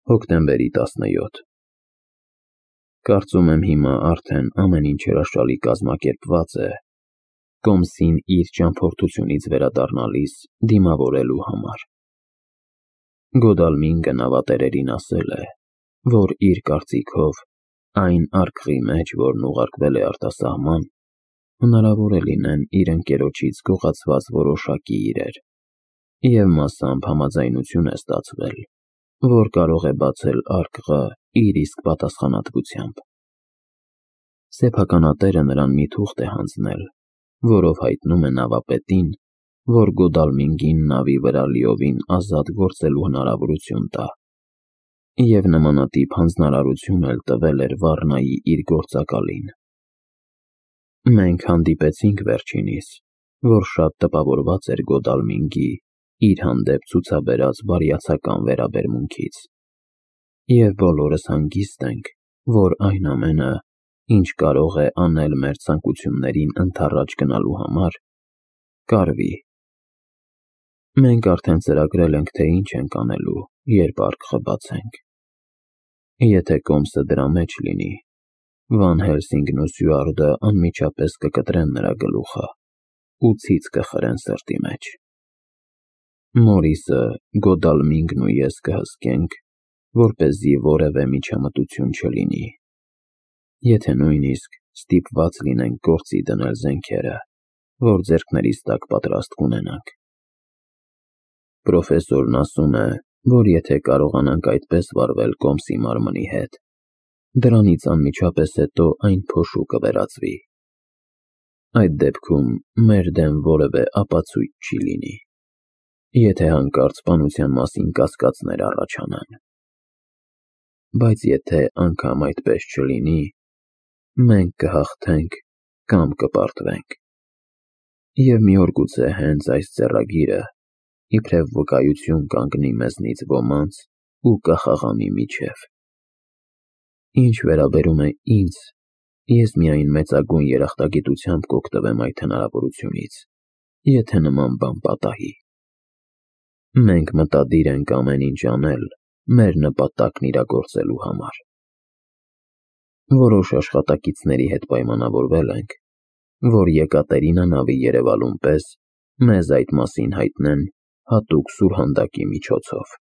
Հոկտեմբերի 17 Կարծում եմ հիմա արդեն ամեն ինչ հրաշալի կազմակերպված է Կոմսին իր ճամփորդությունից վերադառնալիս դիմավորելու համար։ Գոդալմինգը նավատերերին ասել է, որ իր կարծիքով այն արկղի մեջ, որն ուղարկվել է արտասահման, հնարավոր է լինեն իր ընկերոջից գողացված որոշակի իրեր, և մասամբ համաձայնություն է ստացվել, որ կարող է բացել արկղը իր իսկ պատասխանատվությամբ։ Սեփականատերը նրան մի թուղթ է հանձնել, որով հայտնում է նավապետին, որ Գոդալմինգին նավի վրա լիովին ազատ գործելու հնարավորություն տա, և նմանատիպ հանձնարարություն էլ տվել էր Վառնայի իր գործակալին։ Մենք հանդիպեցինք վերջինիս, որ շատ տպավորված էր Գոդալմինգի իր հանդեպ ցուցաբերած բարյացակամ վերաբերմունքից, և բոլորս հանգիստ ենք, որ այն ամենը, ինչ կարող է անել մեր ցանկություններին ընդառաջ գնալու համար, կարվի։ Մենք արդեն ծրագրել ենք, թե ինչ ենք անելու, երբ արկղը բացենք։ Եթե Կոմսը դրա մեջ լինի, Վան Հելսինգն ու Սյուարտը անմիջապես կկտրեն նրա գլուխը ու ցից կխրեն սրտի մեջ։ Մորիսը, Գոդալմինգն ու ես կհսկենք, որպեսզի որևէ միջամտություն չլինի, եթե նույնիսկ ստիպված լինենք գործի դնել զենքերը, որ ձեռքներիս տակ պատրաստ կունենանք։ Պրոֆեսորն ասում է, որ եթե կարողանանք այդպես վարվել Կոմսի մարմնի հետ, դրանից անմիջապես հետո այն փոշու կվերածվի։ Այդ դեպքում մեր դեմ որևէ ապացույց չի լինի, եթե հանկարծ սպանության մասին կասկածներ առաջանան։ Բայց եթե անգամ այդպես չլինի, մենք կհաղթենք կամ կպարտվենք։ Եվ մի օր գուցե հենց այս ձեռագիրը իբրև վկայություն կանգնի մեզնից ոմանց ու կխաղանի միջև։ Ինչ վերաբերում է ինձ, ես միայն մեծագույն երախտագիտությամբ կօգտվեմ այդ հնարավորությունից, եթե նման բան պատահի։ Մենք մտադիր ենք ամեն ինչ անել մեր նպատակն իրագործելու համար։ Որոշ աշխատակիցների հետ պայմանավորվել ենք, որ Եկատերինա նավի երևալուն պես մեզ այդ մասին հայտնեն հատուկ սուրհանդակի միջոցով։